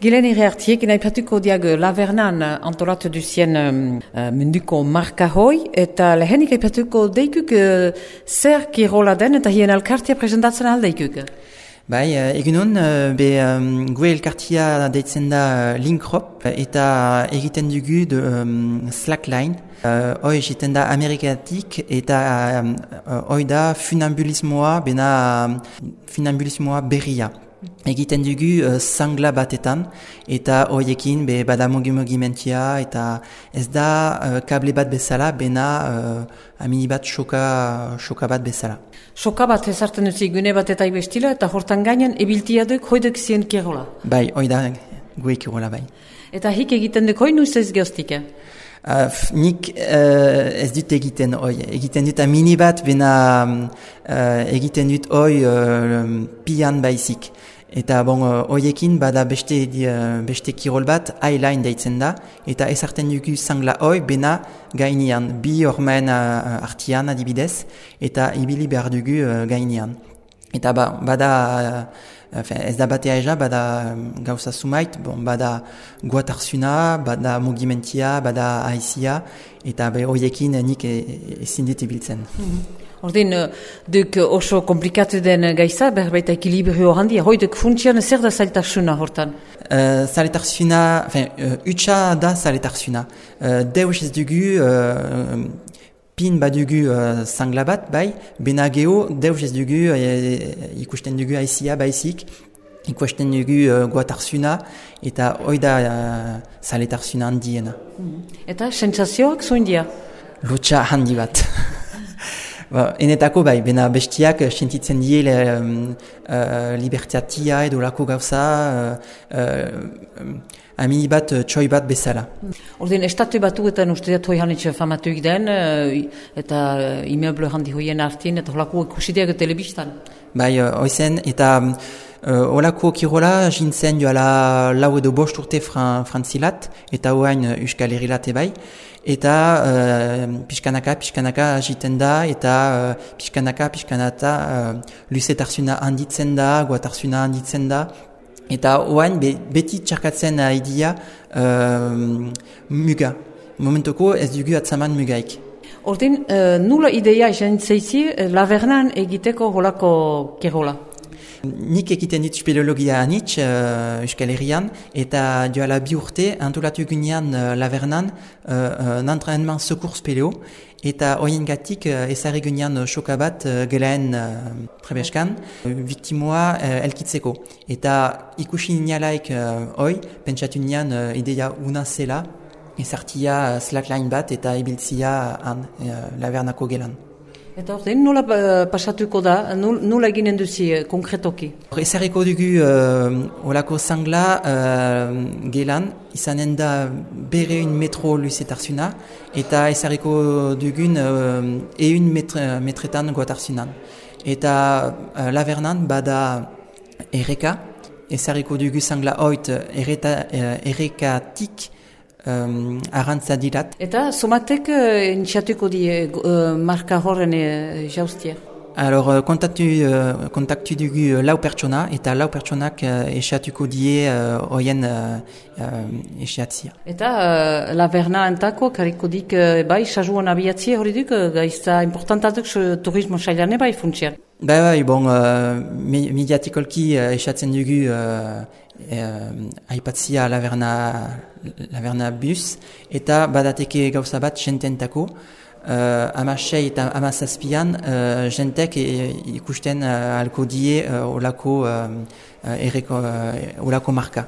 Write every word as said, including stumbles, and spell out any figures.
Gilen irreartiek, naipatuko diag Lavernan antolatu duzien um, uh, munduko marka hoi, eta lehenik aipatuko deikuk uh, zer kirola den eta hien elkartia presentatzen aldeikuk. Bai, egunon, be um, gue elkartia deitzen da Linkrop eta egiten dugu de um, Slackline. Uh, hoi egiten da Amerikatik eta um, hoi da funambulismoa, bena um, funambulismoa berria. Egiten dugu uh, sangla batetan eta hoiekin be bada mugimentia eta ez da uh, kable bat bezala, bena uh, amini bat soka, soka bat bezala. Soka bat ezartzen dut gune bat eta ibestila eta hortan gainen ebiltia duk hoidek zien kirola. Bai, hoi da gue kirola bai. Eta hik egiten duk hoi nuiz ez geostik? Uh, nik uh, ez dut egiten hoi. Egiten dut amini bat, bena uh, egiten dut hoi uh, pian baizik. Eta bon, hoiekin bada beste, uh, beste kirol bat, eyeline deitzen da, eta ezarten dugu sangla hoi, bena gainean, bi hormen uh, artian adibidez, eta ibili behar dugu uh, gainean. Eta ba, bada, uh, ez da batea eza, bada um, gauza sumait, bon, bada guatarsuna, bada mugimentia, bada haizia, eta be hoiekin nik ezin dit ibiltzen. Mm-hmm. Ordin, duk oso komplikatu den gaiza, berbait ekilibrio handia, hoi duk funtsian zer da zailtarsuna hortan? Uh, zailtarsuna, enfin, uh, utsa da zailtarsuna. Uh, Deus ez dugu, uh, pin badugu uh, sangla bat, bai, bena geho, deus ez dugu, uh, ikusten dugu haizia baizik, ikusten dugu uh, guatarsuna, eta hoi da uh, zailtarsuna handiena. Mm. Eta sentsazioak zoin dia? Lotsa handi bat. Ba, enetako bai, bena bestiak sentitzen die um, uh, libertatia edo lako gauza uh, uh, amini bat uh, txoi bat bezala. Ordin, estatu batuetan uste dut hoi hanitxe famatuik den, uh, eta uh, imeble handi hoien artin, eta holako ikusideak telebistan. Bai, uh, oizen, eta uh, holako kirola jintzen joala lau edo bost urte fran, frantzilat, eta hoain uh, euskal herrilate bai. Eta uh, pixkanaka, pixkanaka agiten da, eta uh, pixkanaka, pixkanata uh, luzetarsuna handitzen da, guatarsuna handitzen da. Eta oain be, beti txarkatzen haidia uh, muga. Momentoko ez dugu atzaman mugaik. Ordin, uh, nula ideia izan zeizi Lavernan egiteko holako kirola? Nik egiten dit speleologia anitz uh, Euskal Herrian, eta joala bi urte antolatu gunean uh, Lavernan uh, un entraînement secours speleo, eta hoien gatik uh, ezarri gunean uh, soka bat uh, gelaen uh, trebeskan, uh, viktimoa uh, elkitzeko. Eta ikusi nialaik uh, hoi, pentsatu nian uh, ideia una zela, ezartia uh, slackline bat eta ibiltzia han uh, Lavernako gelan. Eta ordein, nola uh, pasatuko da, nola eginen duzi uh, konkretoki? Ezarriko dugu uh, olako sangla uh, gelan, izanen da bere un metro luzetarsuna, eta ezarriko dugun uh, eun metre, metretan guatarsunan. Eta uh, Lavernan bada erreka, ezarriko dugu sangla hoit erreta, uh, errekatik, Um, arrantza dirat. Eta somatek uh, iniziatuko di uh, marka horren uh, jaustia? Alors, kontaktu, uh, kontaktu dugu lau pertsona, eta lau pertsonak uh, esatuko die hoien uh, uh, esatzia. Eta uh, Laverna entako, kariko dik uh, bai, sajuan abiatzia hori duk, uh, gaizta importantatuk uh, turismo sailane bai funtsian. Bai, bai, bon, uh, mediatikolki uh, esatzen dugu uh, uh, aipatzia Laverna, Laverna bus, eta badateke gauza bat jententako, uh, amasei eta amazazpian uh, jentek e, ikusten uh, alko die uh, olako, uh, erreko, uh, olako marka.